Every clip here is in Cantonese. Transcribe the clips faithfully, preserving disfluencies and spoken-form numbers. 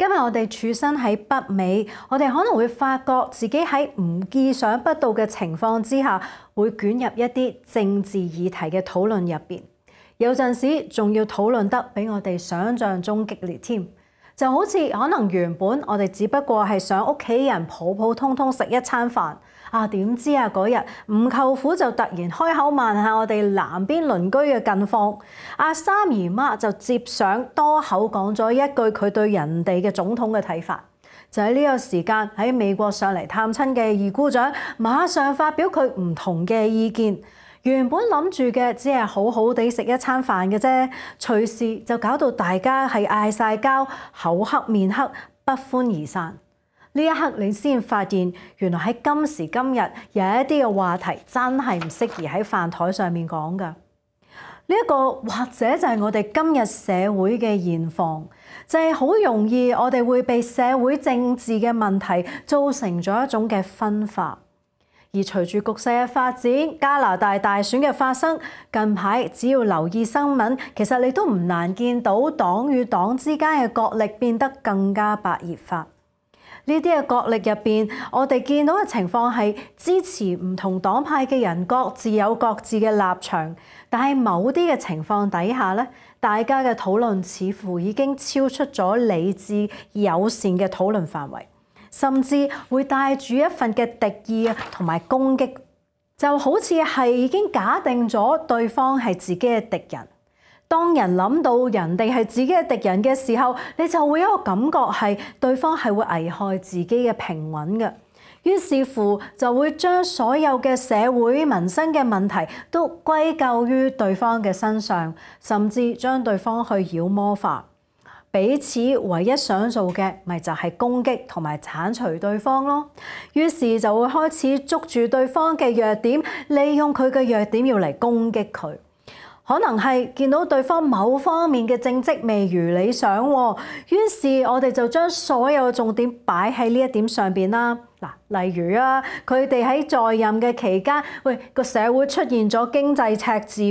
因為我哋處身喺北美，我哋可能會發覺自己喺唔意想不到嘅情況之下，會捲入一啲政治議題嘅討論入邊。有陣時仲要討論得比我哋想象中激烈添。就好似可能原本我哋只不過係想屋企人普普通通食一餐飯，啊點知啊嗰日吳舅父就突然開口問下我哋南邊鄰居嘅近況，阿三姨媽就接上多口講咗一句佢對人哋嘅總統嘅睇法。就喺呢個時間喺美國上嚟探親嘅二姑丈，馬上發表佢唔同嘅意見。原本諗住嘅只係好好地食一餐飯嘅啫，隨時就搞到大家係嗌晒交，口黑面黑，不歡而散。呢一刻你先發現，原來喺今時今日有一啲嘅話題真係唔適宜喺飯台上面講㗎。呢一個或者就係我哋今日社會嘅現況，就係好容易我哋會被社會政治嘅問題造成咗一種嘅分化。而隨住局勢嘅發展，加拿大大選嘅發生，近排只要留意新聞，其實你都唔難見到黨與黨之間嘅角力變得更加白熱化。呢啲嘅角力入邊，我哋見到嘅情況係支持唔同黨派嘅人各自有各自嘅立場，但係某啲嘅情況底下咧，大家嘅討論似乎已經超出咗理智友善嘅討論範圍。甚至會帶住一份嘅敵意啊，同埋攻擊，就好似係已經假定咗對方係自己嘅敵人。當人諗到人哋係自己嘅敵人嘅時候，你就會有一個感覺係對方係會危害自己嘅平穩嘅。於是乎就會將所有嘅社會民生嘅問題都歸咎於對方嘅身上，甚至將對方去妖魔化。彼此唯一想做嘅，咪就係攻擊同埋剷除對方咯。於是就會開始捉住對方嘅弱點，利用佢嘅弱點要嚟攻擊佢。可能係見到對方某方面嘅政績未如理想，於是我哋就將所有嘅重點擺喺呢一點上邊啦。嗱，例如啊，佢哋喺在任嘅期間，喂個社會出現咗經濟赤字，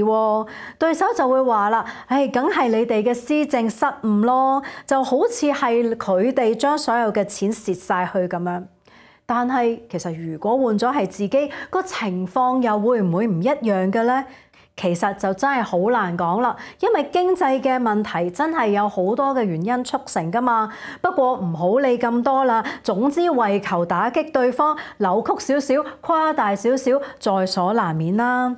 對手就會話啦，唉，梗係你哋嘅施政失誤咯，就好似係佢哋將所有嘅錢蝕晒去咁樣。但係其實如果換咗係自己，個情況又會唔會唔一樣嘅咧？其實就真係好難講啦，因為經濟嘅問題真係有好多嘅原因促成㗎嘛。不過唔好理咁多啦，總之為求打擊對方，扭曲少少、誇大少少，在所難免啦。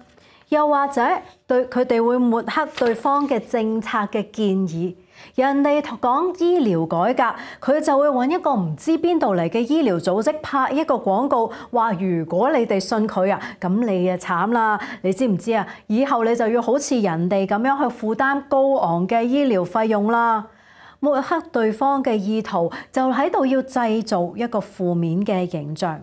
又或者對佢哋會抹黑對方嘅政策嘅建議。人哋講醫療改革，佢就會揾一個唔知邊度嚟嘅醫療組織拍一個廣告，話如果你哋信佢啊，咁你啊慘啦！你知唔知啊？以後你就要好似人哋咁樣去負擔高昂嘅醫療費用啦。抹黑對方嘅意圖就喺度要製造一個負面嘅形象。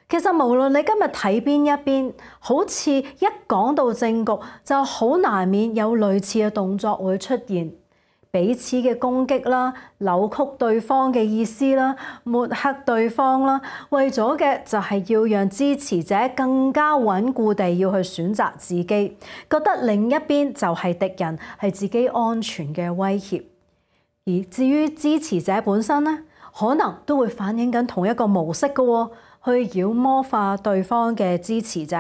其實無論你今日睇邊一邊，好似一講到政局，就好難免有類似嘅動作會出現。彼此嘅攻擊啦，扭曲對方嘅意思啦，抹黑對方啦，為咗嘅就係要讓支持者更加穩固地要去選擇自己，覺得另一邊就係敵人，係自己安全嘅威脅。而至於支持者本身咧，可能都會反映緊同一個模式嘅，去妖魔化對方嘅支持者，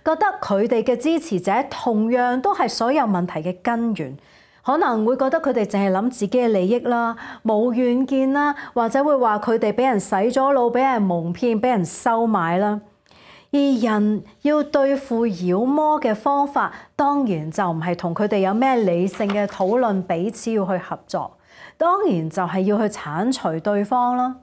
覺得佢哋嘅支持者同樣都係所有問題嘅根源。可能會覺得佢哋淨係諗自己嘅利益啦，冇遠見啦，或者會話佢哋俾人洗咗腦，俾人蒙騙，俾人收買啦。而人要對付妖魔嘅方法，當然就唔係同佢哋有咩理性嘅討論，彼此要去合作，當然就係要去剷除對方啦。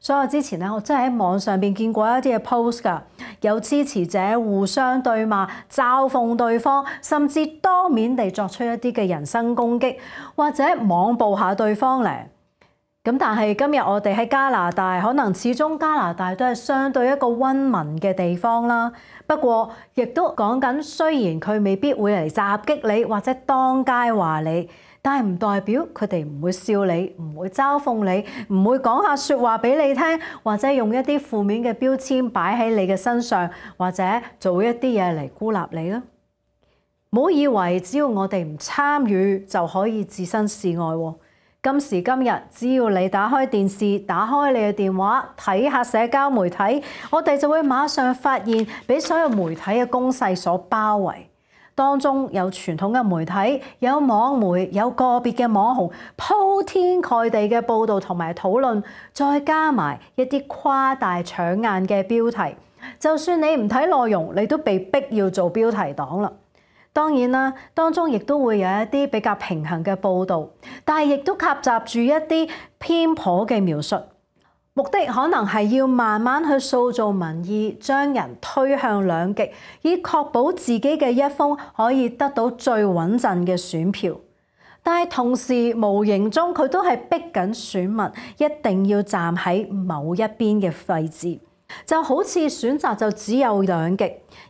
所以我之前咧，我真係喺網上邊見過一啲嘅 post 㗎，有支持者互相對罵、嘲諷對方，甚至當面地作出一啲嘅人身攻擊，或者網暴下對方咧。咁但係今日我哋喺加拿大，可能始終加拿大都係相對一個溫文嘅地方啦。不過亦都講緊，雖然佢未必會嚟襲擊你，或者當街話你。但係唔代表佢哋唔會笑你，唔會嘲諷你，唔會講下説話俾你聽，或者用一啲負面嘅標籤擺喺你嘅身上，或者做一啲嘢嚟孤立你啦。唔好以為只要我哋唔參與就可以置身事外喎。今時今日，只要你打開電視、打開你嘅電話，睇下社交媒體，我哋就會馬上發現俾所有媒體嘅攻勢所包圍。當中有傳統嘅媒體，有網媒，有個別嘅網紅，鋪天蓋地嘅報導同埋討論，再加埋一啲誇大搶眼嘅標題，就算你唔睇內容，你都被逼要做標題黨啦。當然啦，當中亦都會有一啲比較平衡嘅報導，但係亦都夾雜住一啲偏頗嘅描述，目的可能係要慢慢去塑造民意，將人推向兩極，以確保自己嘅一方可以得到最穩陣嘅選票。但係同時無形中佢都係逼緊選民一定要站喺某一邊嘅位置。就好似選擇就只有兩極，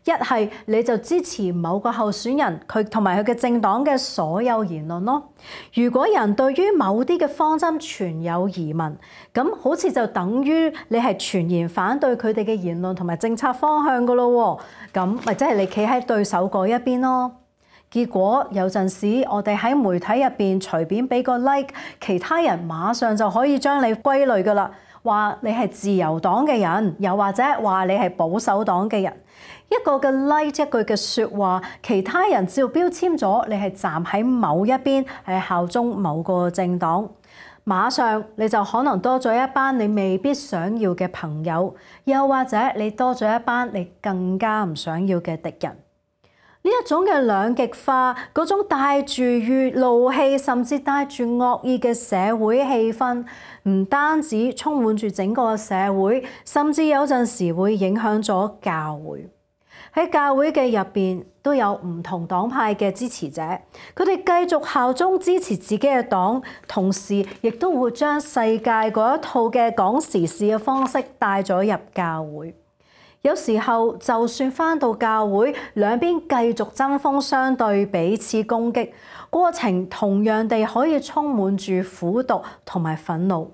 一係你就支持某個候選人佢同埋佢嘅政黨嘅所有言論咯。如果人對於某啲嘅方針存有疑問，咁好似就等於你係全然反對佢哋嘅言論同埋政策方向噶咯。咁咪即係你企喺對手嗰一邊咯。結果有陣時我哋喺媒體入邊隨便俾個 like， 其他人馬上就可以將你歸類噶啦。話你係自由黨嘅人，又或者話你係保守黨嘅人，一個嘅 like 一句嘅説話，其他人只要標籤咗你係站喺某一邊，係效忠某個政黨，馬上你就可能多咗一班你未必想要嘅朋友，又或者你多咗一班你更加唔想要嘅敵人。呢一種嘅兩極化，嗰種帶住怒氣，甚至帶住惡意嘅社會氣氛，唔單止充滿住整個社會，甚至有陣時會影響咗教會。喺教會嘅入邊都有唔同黨派嘅支持者，佢哋繼續效忠支持自己嘅黨，同時亦都會將世界嗰一套嘅講時事嘅方式帶咗入教會。有時候就算返到教會，兩邊繼續針鋒相對，彼此攻擊，過程同樣地可以充滿住苦毒同埋憤怒。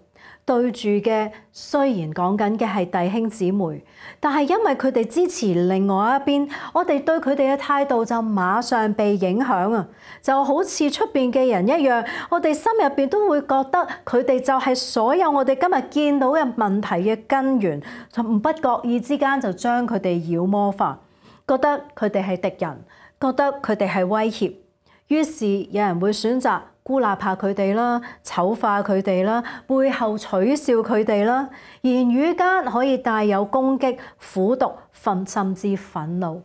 對住嘅雖然講緊嘅係弟兄姊妹，但係因為佢哋支持另外一邊，我哋對佢哋嘅態度就馬上被影響啊！就好似出邊嘅人一樣，我哋心入邊都會覺得佢哋就係所有我哋今日見到嘅問題嘅根源，就唔不覺意之間就將佢哋妖魔化，覺得佢哋係敵人，覺得佢哋係威脅，於是有人會選擇孤立下佢哋啦，醜化佢哋啦，背後取笑佢哋啦，言語間可以帶有攻擊、苦毒、憤甚至憤怒。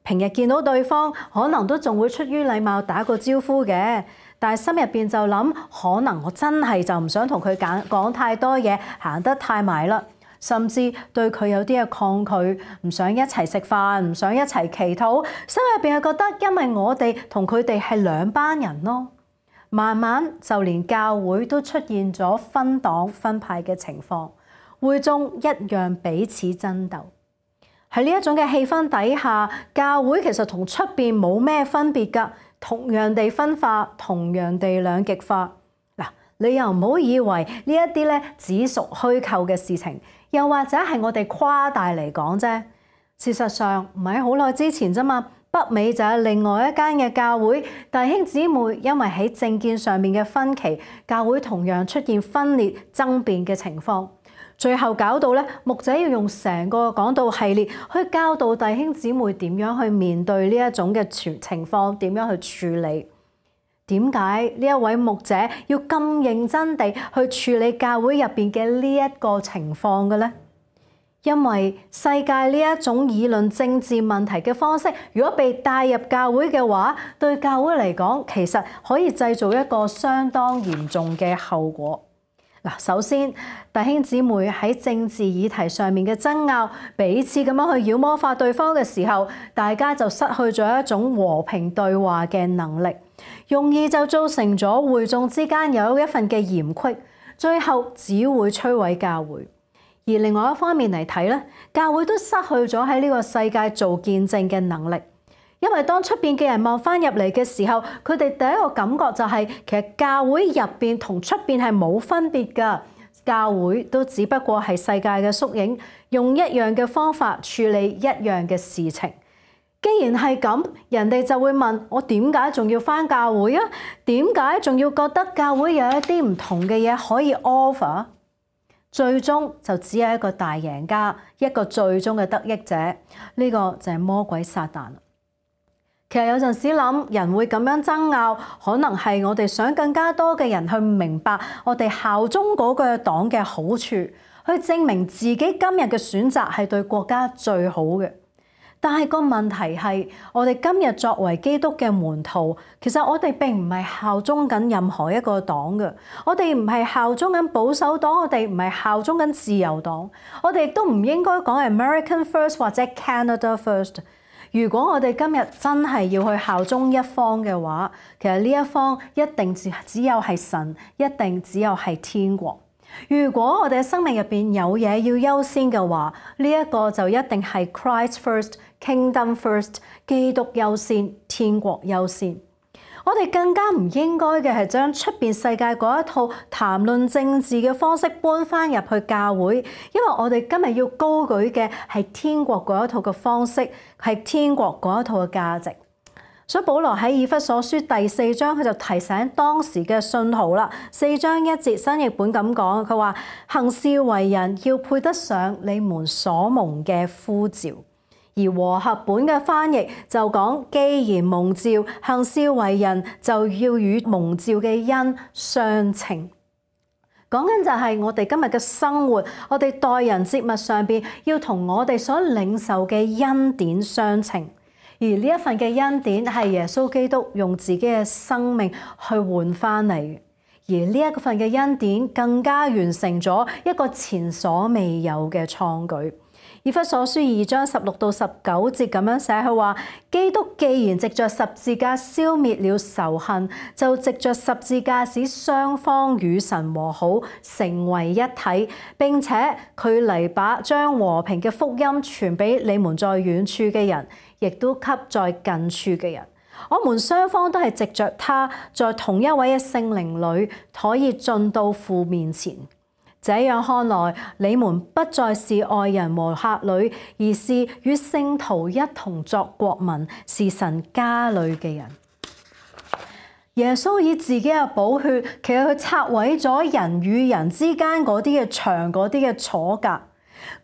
平日見到對方，可能都仲會出於禮貌打個招呼嘅，但係心入邊就諗，可能我真係就唔想同佢講講太多嘢，行得太埋啦，甚至對佢有啲嘅抗拒，唔想一齊食飯，唔想一齊祈禱，心入邊係覺得，因為我哋同佢哋係兩班人咯。慢慢就連教會都出現咗分黨分派嘅情況，會眾一樣彼此爭鬥。喺呢一種嘅氣氛底下，教會其實同出邊冇咩分別㗎，同樣地分化，同樣地兩極化。嗱，你又唔好以為呢一啲咧只屬虛構嘅事情，又或者係我哋誇大嚟講啫。事實上唔係好耐之前啫嘛。北美就係另外一間嘅教會，弟兄姊妹因為喺政見上面嘅分歧，教會同樣出現分裂爭辯嘅情況，最後搞到咧牧者要用成個講道系列去教導弟兄姊妹點樣去面對呢一種嘅情況，點樣去處理。點解呢一位牧者要咁認真地去處理教會入邊嘅呢一個情況嘅咧？因為世界呢一種議論政治問題嘅方式，如果被帶入教會嘅話，對教會嚟講，其實可以製造一個相當嚴重嘅後果。嗱，首先弟兄姊妹喺政治議題上面嘅爭拗，彼此咁樣去妖魔化對方嘅時候，大家就失去咗一種和平對話嘅能力，容易就造成咗會眾之間有一份嘅嫌隙，最後只會摧毀教會。而另外一方面嚟睇咧，教會都失去咗喺呢個世界做見證嘅能力，因為當出邊嘅人望翻入嚟嘅時候，佢哋第一個感覺就係、是、其實教會入邊同出邊係冇分別㗎，教會都只不過係世界嘅縮影，用一樣嘅方法處理一樣嘅事情。既然係咁，人哋就會問我點解仲要返教會啊？點解仲要覺得教會有一啲唔同嘅嘢可以 offer？最終就只有一個大贏家，一個最終嘅得益者，呢個就係魔鬼撒旦。其實有陣時諗人會咁樣爭拗，可能係我哋想更加多嘅人去明白我哋效忠嗰個黨嘅好處，去證明自己今日嘅選擇係對國家最好嘅。但係個問題係，我哋今日作為基督嘅門徒，其實我哋並唔係效忠緊任何一個黨嘅，我哋唔係效忠緊保守黨，我哋唔係效忠緊自由黨，我哋亦都唔應該講 American First 或者 Canada First。如果我哋今日真係要去效忠一方嘅話，其實呢一方一定只只有係神，一定只有係天國。如果我哋嘅生命入邊有嘢要優先嘅話，呢一個就一定係 Christ First、Kingdom First， 基督優先、天國優先。我哋更加唔應該嘅係將出邊世界嗰一套談論政治嘅方式搬翻入去教會，因為我哋今日要高舉嘅係天國嗰一套嘅方式，係天國嗰一套嘅價值。所以保羅喺以弗所書第四章，佢就提醒當時嘅信徒啦。四章一節新譯本咁講，佢話行事為人要配得上你們所蒙嘅呼召。而和合本嘅翻譯就講，既然蒙召，行事為人就要與蒙召嘅恩相稱。講緊就係我哋今日嘅生活，我哋待人接物上邊要同我哋所領受嘅恩典相稱。而呢一份嘅恩典係耶穌基督用自己嘅生命去換翻嚟嘅，而呢一份嘅恩典更加完成咗一個前所未有嘅創舉。以弗所書二章十六到十九節咁樣寫，佢話：基督既然藉着十字架消滅了仇恨，就藉着十字架使雙方與神和好，成為一體。並且佢嚟把將和平嘅福音傳俾你們在遠處嘅人，亦都給在近處嘅人。我們雙方都係藉着他，在同一位嘅聖靈裏，可以進到父面前。這樣看來，你們不再是外人和客旅，而是與聖徒一同作國民，是神家裏嘅人。耶穌以自己嘅寶血，其實佢拆毀咗人與人之間嗰啲嘅牆、嗰啲嘅阻隔。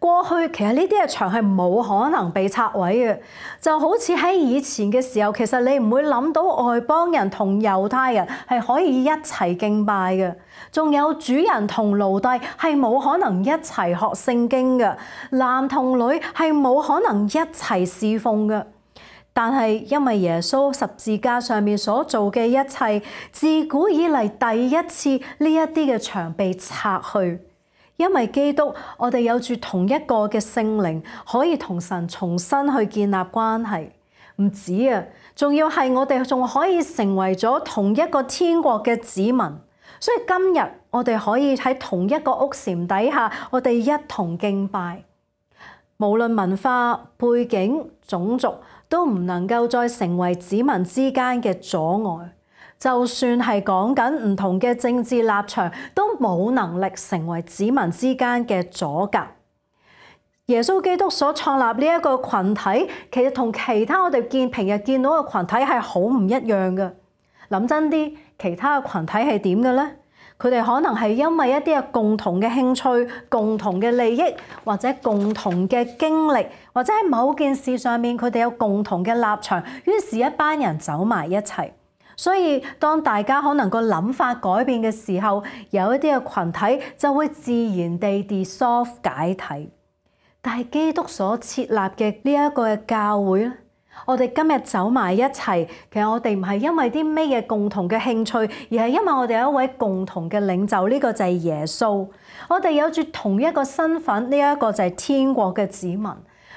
過去其實呢啲嘅牆係冇可能被拆毀嘅，就好似喺以前嘅時候，其實你唔會諗到外邦人同猶太人係可以一齊敬拜嘅，仲有主人同奴隸係冇可能一齊學聖經嘅，男同女係冇可能一齊侍奉嘅。但係因為耶穌十字架上面所做嘅一切，自古以嚟第一次呢一啲嘅牆被拆去。因為基督，我哋有住同一個嘅聖靈，可以同神重新去建立關係。唔止啊，仲要係我哋仲可以成為咗同一個天國嘅子民。所以今日我哋可以喺同一個屋檐底下，我哋一同敬拜。無論文化背景、種族，都唔能夠再成為子民之間嘅阻礙。就算係講緊唔同嘅政治立場，都冇能力成為子民之間嘅阻隔。耶穌基督所創立呢一個群體，其實同其他我哋見平日見到嘅群體係好唔一樣嘅。諗真啲，其他嘅群體係點嘅咧？佢哋可能係因為一啲嘅共同嘅興趣、共同嘅利益，或者共同嘅經歷，或者喺某件事上面佢哋有共同嘅立場，於是一班人走埋一齊。所以當大家可能個諗法改變嘅時候，有一啲嘅群體就會自然地 dissolve 解體。但係基督所設立嘅呢一個嘅教會咧，我哋今日走埋一齊，其實我哋唔係因為啲咩嘢共同嘅興趣，而係因為我哋有一位共同嘅領袖，呢個就係耶穌。我哋有住同一個身份，呢一個就係天國嘅子民。呢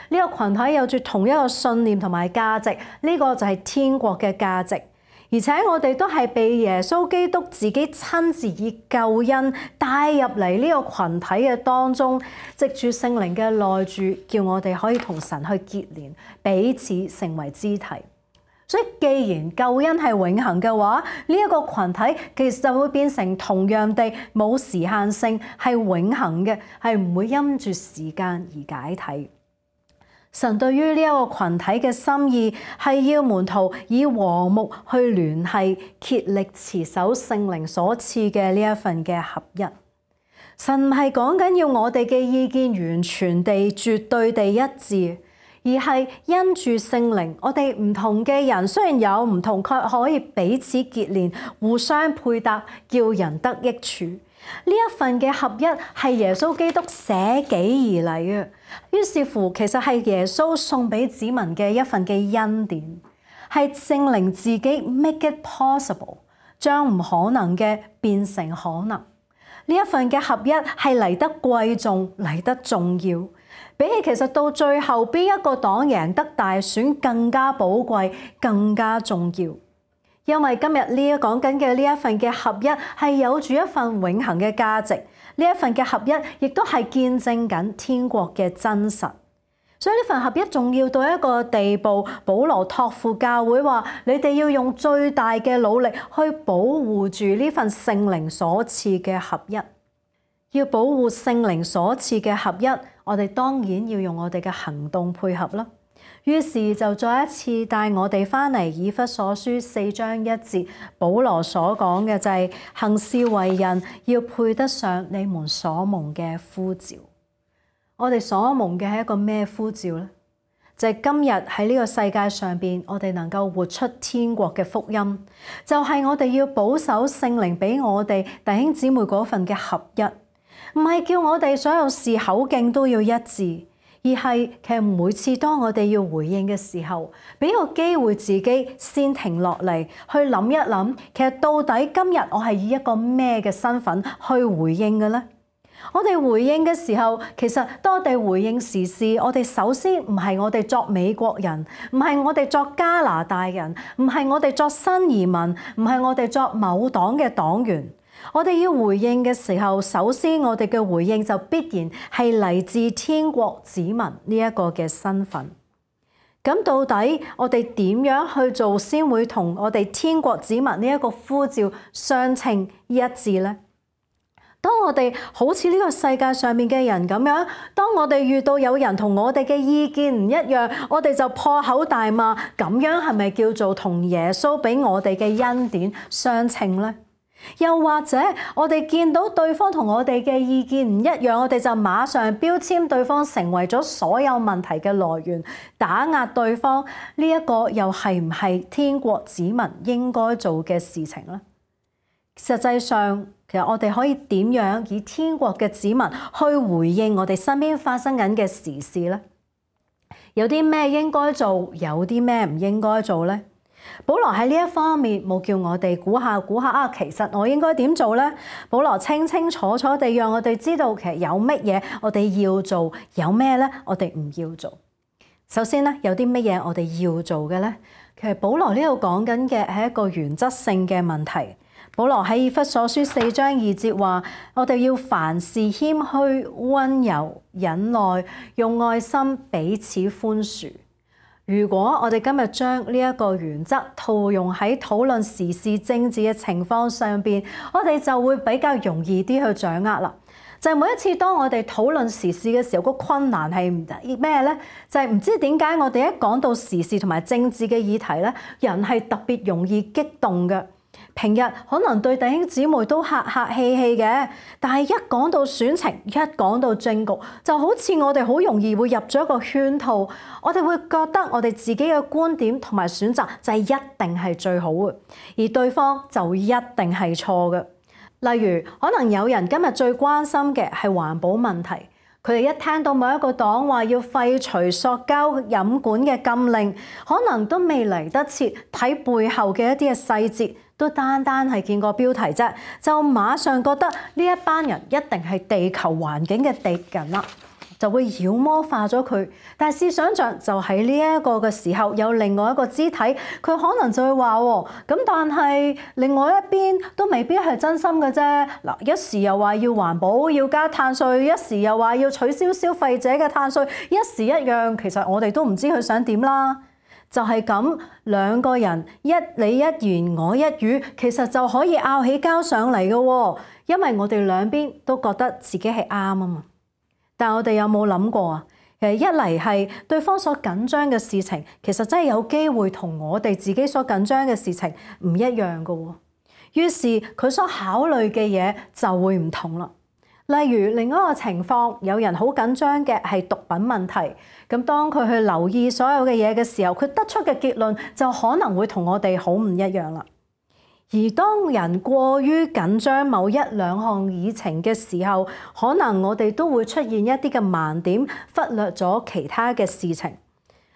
個群體有住同一個信念同埋價值，呢個就係天國嘅價值。而且我哋都係被耶穌基督自己親自以救恩帶入嚟呢個群體嘅當中，藉住聖靈嘅內住，叫我哋可以同神去結連，彼此成為肢體。所以既然救恩係永恆嘅話，呢一個群體其實就會變成同樣地冇時限性，係永恆嘅，係唔會因住時間而解體。神對於呢一個群體嘅心意係要門徒以和睦去聯繫，竭力持守聖靈所賜嘅呢一份嘅合一。神唔係講緊要我哋嘅意見完全地、絕對地一致，而係因住聖靈，我哋唔同嘅人雖然有唔同，卻可以彼此結連，互相配搭，叫人得益處。呢一份嘅合一係耶穌基督捨己而嚟嘅，於是乎其實係耶穌送俾子民嘅一份嘅恩典，係聖靈自己 make it possible， 將唔可能嘅變成可能。呢一份嘅合一係嚟得貴重，嚟得重要，比起其實到最後邊一個黨贏得大選更加寶貴，更加重要。因為今日呢一講緊嘅呢一份嘅合一係有住一份永恆嘅價值，呢一份嘅合一亦都係見證緊天國嘅真實。所以呢份合一重要到一個地步，保羅託付教會話：你哋要用最大嘅努力去保護住呢份聖靈所賜嘅合一。要保護聖靈所賜嘅合一，我哋當然要用我哋嘅行動配合啦。於是就再一次帶我哋翻嚟以弗所書四章一節，保羅所講嘅就係行事為人要配得上你們所蒙嘅呼召。我哋所蒙嘅係一個咩呼召呢？就係今日喺呢個世界上邊，我哋能夠活出天國嘅福音，就係我哋要保守聖靈俾我哋弟兄姊妹嗰份嘅合一，唔係叫我哋所有事口徑都要一致。而係其實每次當我哋要回應嘅時候，俾個機會自己先停落嚟，去諗一諗，其實到底今日我係以一個咩嘅身份去回應嘅呢？我哋回應嘅時候，其實當我哋回應時事，我哋首先唔係我哋作美國人，唔係我哋作加拿大人，唔係我哋作新移民，唔係我哋作某黨嘅黨員。我哋要回應嘅時候，首先我哋嘅回應就必然係嚟自天國子民呢一個嘅身份。咁到底我哋點樣去做先會同我哋天國子民呢一個呼召相稱一致呢？當我哋好似呢個世界上面嘅人咁樣，當我哋遇到有人同我哋嘅意見唔一樣，我哋就破口大罵，咁樣係咪叫做同耶穌俾我哋嘅恩典相稱呢？又或者我哋見到對方同我哋嘅意見唔一樣，我哋就馬上標籤對方成為咗所有問題嘅來源，打壓對方，呢一個又係唔係天國子民應該做嘅事情呢？實際上，其實我哋可以點樣以天國嘅子民去回應我哋身邊發生緊嘅時事呢？有啲咩應該做，有啲咩唔應該做呢？保羅喺呢一方面冇叫我哋估下估下啊，其實我應該點做呢？保羅清清楚楚地讓我哋知道，其實有乜嘢我哋要做，有咩咧我哋唔要做。首先咧，有啲乜嘢我哋要做嘅咧？其實保羅呢度講緊嘅係一個原則性嘅問題。保羅喺以弗所書四章二節話：我哋要凡事謙虛、溫柔、忍耐，用愛心彼此寬恕。如果我哋今日將呢一個原則套用喺討論時事政治嘅情況上邊，我哋就會比較容易啲去掌握啦。就係每一次當我哋討論時事嘅時候，個困難係咩呢？就係唔知點解我哋一講到時事同埋政治嘅議題咧，人係特別容易激動嘅。平日可能對弟兄姊妹都客客氣氣嘅，但係一講到選情，一講到政局，就好似我哋好容易會入咗一個圈套，我哋會覺得我哋自己嘅觀點同埋選擇就係一定係最好嘅，而對方就一定係錯嘅。例如，可能有人今日最關心嘅係環保問題，佢哋一聽到某一個黨話要廢除塑膠飲管嘅禁令，可能都未嚟得切睇背後嘅一啲嘅細節，都單單係見個標題啫，就馬上覺得呢一班人一定係地球環境嘅敵人啦，就會妖魔化咗佢。但係試想像，就喺呢一個嘅時候，有另外一個肢體，佢可能就會話喎，咁但係另外一邊都未必係真心嘅啫。嗱，一時又話要環保要加碳稅，一時又話要取消消費者嘅碳稅，一時一樣，其實我哋都唔知佢想點啦。就係咁，兩個人一你一言我一語，其實就可以拗起交上嚟嘅喎，因為我哋兩邊都覺得自己係啱啊嘛。但我哋有冇諗過啊？其實一嚟係對方所緊張嘅事情，其實真係有機會同我哋自己所緊張嘅事情唔一樣㗎喎。於是佢所考慮嘅嘢就會唔同啦。例如另一個情況，有人好緊張嘅係毒品問題，咁當佢去留意所有嘅嘢嘅時候，佢得出嘅結論就可能會同我哋好唔一樣啦。而當人過於緊張某一兩項議程嘅時候，可能我哋都會出現一啲嘅盲點，忽略咗其他嘅事情。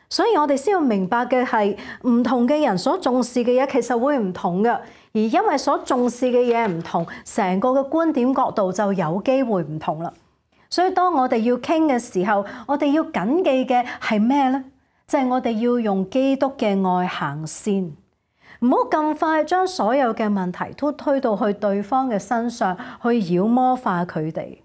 所以我哋先要明白嘅係，唔同嘅人所重視嘅嘢其實會唔同嘅，而因為所重視嘅嘢唔同，成個嘅觀點角度就有機會唔同啦。所以當我哋要傾嘅時候，我哋要緊記嘅係咩呢？就係我哋要用基督嘅愛行先，唔好咁快將所有嘅問題都推到去對方嘅身上，去妖魔化佢哋。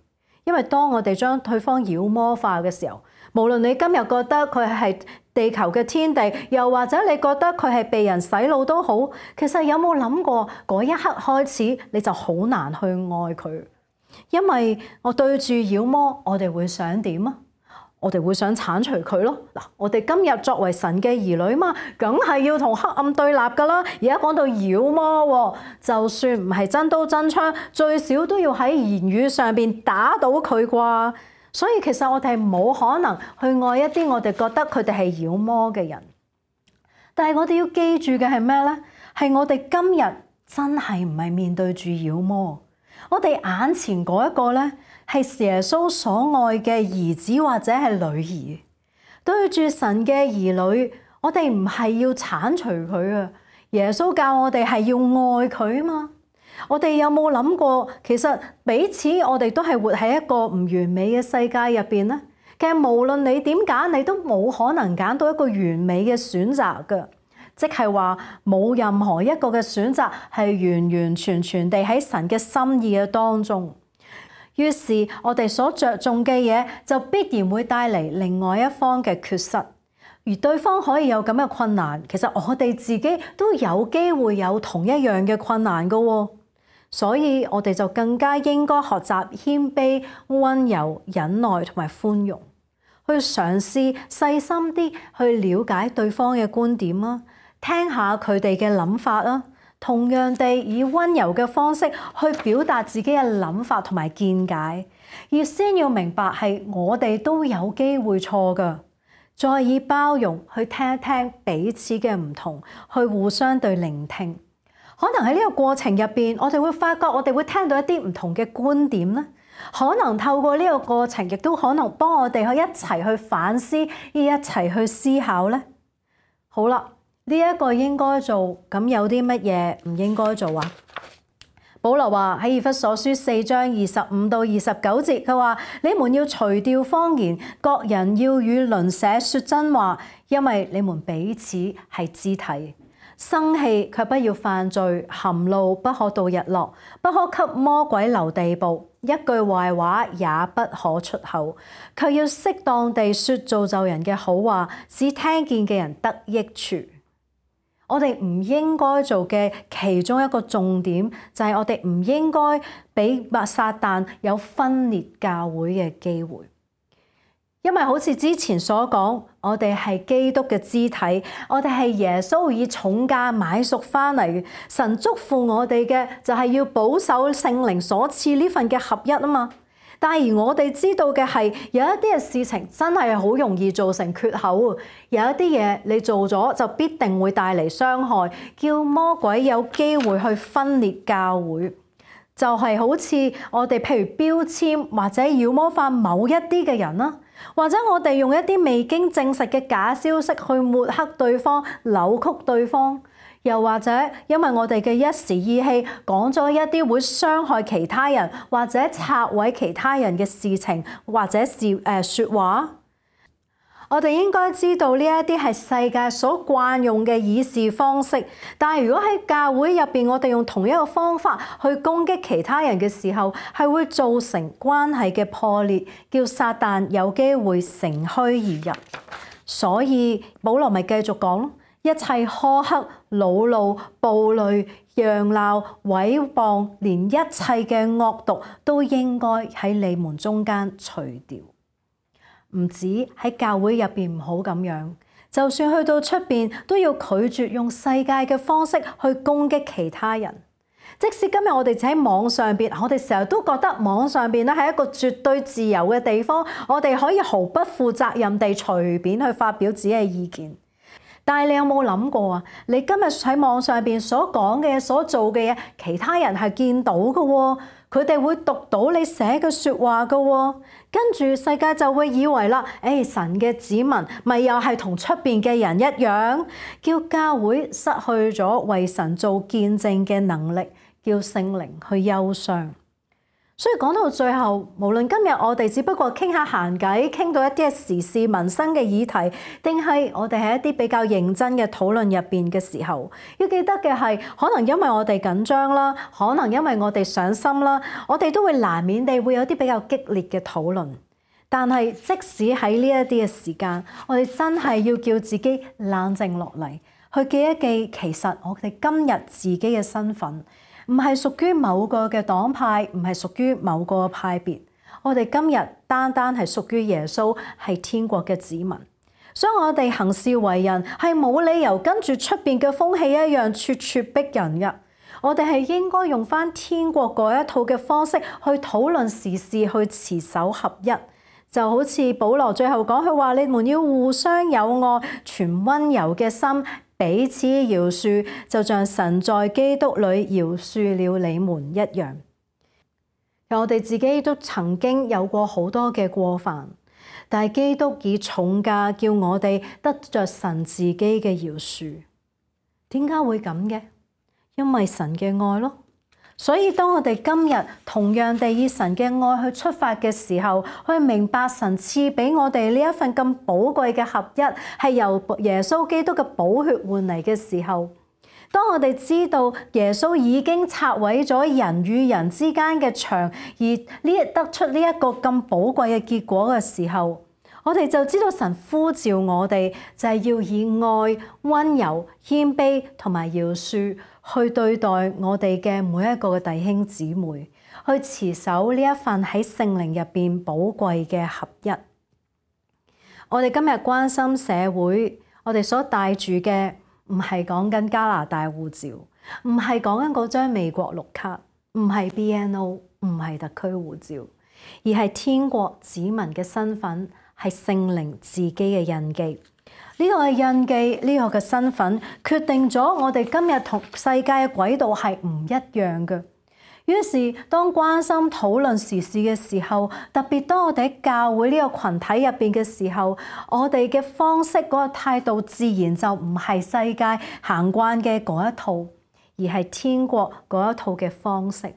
因為當我哋將對方妖魔化嘅時候，無論你今日覺得佢係地球嘅天地，又或者你覺得佢係被人洗腦都好，其實有冇諗過嗰一刻開始你就好難去愛佢？因為我對住妖魔，我哋會想點啊？我哋會想剷除佢咯。嗱，我哋今日作為神嘅兒女嘛，梗係要同黑暗對立噶啦。而家講到妖魔，就算唔係真刀真槍，最少都要喺言語上邊打倒佢啩。所以其實我哋係冇可能去愛一啲我哋覺得佢哋係妖魔嘅人。但係我哋要記住嘅係咩呢？係我哋今日真係唔係面對住妖魔，我哋眼前嗰一個呢，係耶穌所愛嘅兒子或者係女兒。對住神嘅兒女，我哋唔係要剷除佢啊！耶穌教我哋係要愛佢啊嘛。我哋有冇諗過，其實彼此我哋都係活喺一個唔完美嘅世界入邊呢？其實無論你點揀，你都冇可能揀到一個完美嘅選擇㗎。即係話冇任何一個嘅選擇係完完全全地喺神嘅心意嘅當中。於是我哋所着重嘅嘢就必然會帶嚟另外一方嘅缺失，而對方可以有咁嘅困難，其實我哋自己都有機會有同一樣嘅困難㗎喎。所以我哋就更加應該學習謙卑、溫柔、忍耐同埋寬容，去嘗試細心啲去了解對方嘅觀點啦，聽下佢哋嘅諗法啦，同樣地以溫柔嘅方式去表達自己嘅諗法同埋見解，而先要明白係我哋都有機會錯㗎，再以包容去聽一聽彼此嘅唔同，去互相對聆聽。可能喺呢個過程入邊，我哋會發覺我哋會聽到一啲唔同嘅觀點咧。可能透過呢個過程，亦都可能幫我哋去一齊去反思，而一齊去思考咧。好啦，呢一個應該做，咁有啲乜嘢唔應該做啊？保羅話喺以弗所書四章二十五到二十九節，佢話：你們要除掉謊言，各人要與鄰舍說真話，因為你們彼此係肢體。生氣卻不要犯罪，含怒不可到日落，不可給魔鬼留地步，一句壞話也不可出口，卻要適當地說造就人嘅好話，使聽見嘅人得益處。我哋唔應該做嘅其中一個重點，就係我哋唔應該俾撒旦有分裂教會嘅機會。因為好似之前所講，我哋係基督嘅肢體，我哋係耶穌以重價買贖翻嚟嘅。神囑咐我哋嘅就係要保守聖靈所賜呢份嘅合一啊嘛。但係而我哋知道嘅係有一啲嘅事情真係好容易造成缺口，有一啲嘢你做咗就必定會帶嚟傷害，叫魔鬼有機會去分裂教會。就係好似我哋譬如標籤或者妖魔化某一啲嘅人啦，或者我哋用一啲未經證實嘅假消息去抹黑對方、扭曲對方，又或者因為我哋嘅一時意氣講咗一啲會傷害其他人或者拆毀其他人嘅事情或者是誒説話。我哋應該知道呢一啲係世界所慣用嘅議事方式，但係如果喺教會入邊，我哋用同一個方法去攻擊其他人嘅時候，係會造成關係嘅破裂，叫撒旦有機會乘虛而入。所以保羅咪繼續講咯，一切苛刻、惱怒、暴戾、揚鬧、毀謗，連一切嘅惡毒都應該喺你們中間除掉。唔止喺教會入邊唔好咁樣，就算去到出邊都要拒絕用世界嘅方式去攻擊其他人。即使今日我哋只喺網上邊，我哋成日都覺得網上邊咧係一個絕對自由嘅地方，我哋可以毫不負責任地隨便去發表自己嘅意見。但係你有冇諗過啊？你今日喺網上邊所講嘅嘢、所做嘅嘢，其他人係見到嘅喎，佢哋會讀到你寫嘅説話嘅喎，跟住世界就會以為啦，誒，神嘅子民咪又係同出邊嘅人一樣，叫教會失去咗為神做見證嘅能力，叫聖靈去憂傷。所以講到最後，無論今日我哋只不過傾下閒偈，傾到一啲時事民生嘅議題，定係我哋喺一啲比較認真嘅討論入邊嘅時候，要記得嘅係，可能因為我哋緊張啦，可能因為我哋上心啦，我哋都會難免地會有啲比較激烈嘅討論。但係即使喺呢一啲嘅時間，我哋真係要叫自己冷靜落嚟，去記一記，其實我哋今日自己嘅身份，唔係屬於某個嘅黨派，唔係屬於某個派別。我哋今日單單係屬於耶穌，係天國嘅子民。所以我哋行事為人係冇理由跟住出邊嘅風氣一樣咄咄逼人嘅。我哋係應該用翻天國嗰一套嘅方式去討論時事，去持守合一。就好似保羅最後講，佢話你們要互相友愛，存溫柔嘅心，彼此饒恕，就像神在基督裏饒恕了你們一樣。我哋自己都曾經有過好多嘅過犯，但係基督以重價叫我哋得着神自己嘅饒恕。點解會咁嘅？因為神嘅愛咯。所以當我哋今日同樣地以神嘅愛去出發嘅時候，去明白神賜俾我哋呢一份咁寶貴嘅合一，係由耶穌基督嘅寶血換嚟嘅時候，當我哋知道耶穌已經拆毀咗人與人之間嘅牆，而呢得出呢一個咁寶貴嘅結果嘅時候，我哋就知道神呼召我哋就係要以愛、溫柔、謙卑同埋饒恕去對待我哋嘅每一個嘅弟兄姊妹，去持守呢一份喺聖靈入邊寶貴嘅合一。我哋今日關心社會，我哋所帶住嘅唔係講緊加拿大護照，唔係講緊嗰張美國綠卡，唔係 B N O， 唔係特區護照，而係天國子民嘅身份，係聖靈自己嘅印記。呢個嘅印記，呢個嘅身份，決定咗我哋今日同世界嘅軌道係唔一樣嘅。於是當關心討論時事嘅時候，特別當我哋喺教會呢個群體入邊嘅時候，我哋嘅方式嗰個態度，自然就唔係世界行慣嘅嗰一套，而係天國嗰一套嘅方式。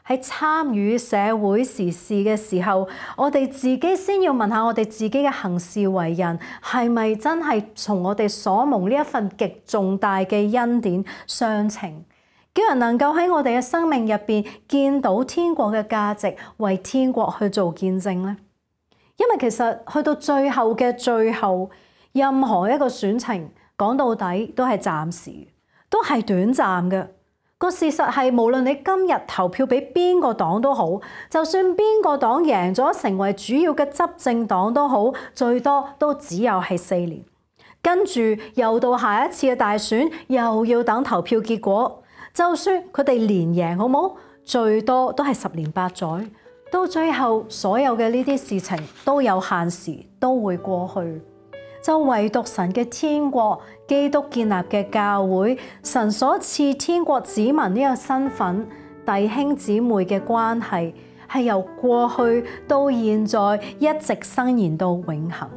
喺參與社會時事嘅時候，我哋自己先要問下我哋自己嘅行事為人，係咪真係從我哋所蒙呢一份極重大嘅恩典相稱，叫人能夠喺我哋嘅生命入邊見到天國嘅價值，為天國去做見證呢？因為其實去到最後嘅最後，任何一個選情講到底都係暫時，都係短暫嘅。個事實係，無論你今日投票俾邊個黨都好，就算邊個黨贏咗成為主要嘅執政黨都好，最多都只有係四年。跟住又到下一次嘅大選，又要等投票結果。就算佢哋連贏，好冇？最多都係十年八載。到最後，所有嘅呢啲事情都有限時，都會過去。就唯獨神嘅天國，基督建立嘅教會，神所賜天國子民呢個身份，弟兄姊妹嘅關係，係由過去到現在一直伸延到永恆。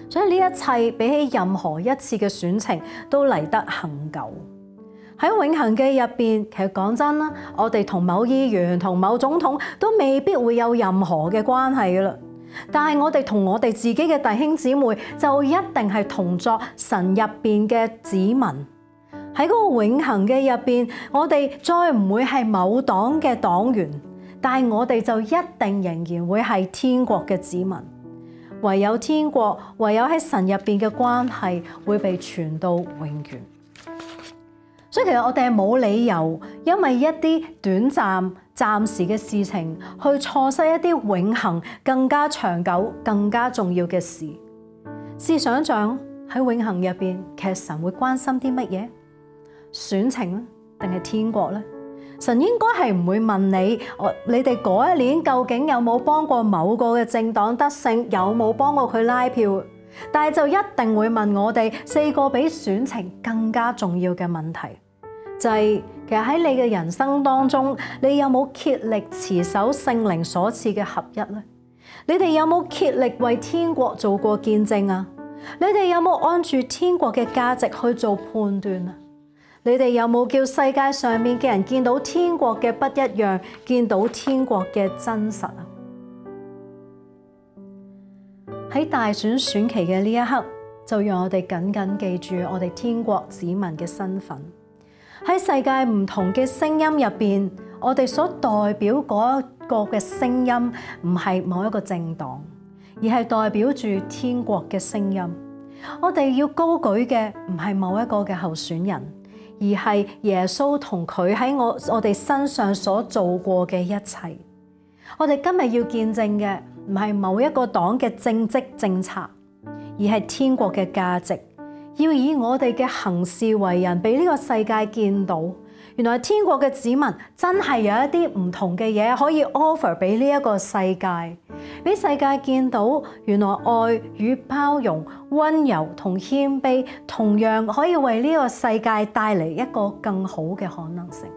所以呢一切比起任何一次嘅選情都嚟得恆久。喺永恆嘅入邊，其實講真啦，我哋同某議員同某總統都未必會有任何嘅關係㗎喇。但係我哋同我哋自己嘅弟兄姊妹就一定係同作神入邊嘅子民。喺嗰個永恆嘅入邊，我哋再唔會係某黨嘅黨員，但係我哋就一定仍然會係天國嘅子民。唯有天國，唯有喺神入邊嘅關係會被傳到永遠。所以其實我哋係冇理由因為一啲短暫、暫時嘅事情，去錯失一啲永恆、更加長久、更加重要嘅事。試想像喺永恆入邊，其實神會關心啲乜嘢？選情咧，定係天國咧？神應該係唔會問你，我你哋嗰一年究竟有冇幫過某個嘅政黨得勝，有冇幫過佢拉票？但係就一定會問我哋四個比選情更加重要嘅問題，就係其實喺你嘅人生當中，你有冇竭力持守聖靈所賜嘅合一呢？你哋有冇竭力為天國做過見證啊？你哋有冇按住天國嘅價值去做判斷啊？你哋有冇叫世界上面嘅人見到天國嘅不一樣，見到天國嘅真實啊？喺大選選期嘅呢一刻，就讓我哋緊緊記住我哋天國子民嘅身份。喺世界唔同嘅聲音入邊，我哋所代表嗰一個嘅聲音，唔係某一個政黨，而係代表住天國嘅聲音。我哋要高舉嘅唔係某一個嘅候選人，而係耶穌同佢喺我我哋身上所做過嘅一切。我哋今日要見證嘅唔係某一個黨嘅政績政策，而係天國嘅價值。要以我哋嘅行事為人，俾呢個世界見到，原來天國嘅子民真係有一啲唔同嘅嘢可以 offer 俾呢一個世界，俾世界見到原來愛與包容、溫柔同謙卑，同樣可以為呢個世界帶嚟一個更好嘅可能性。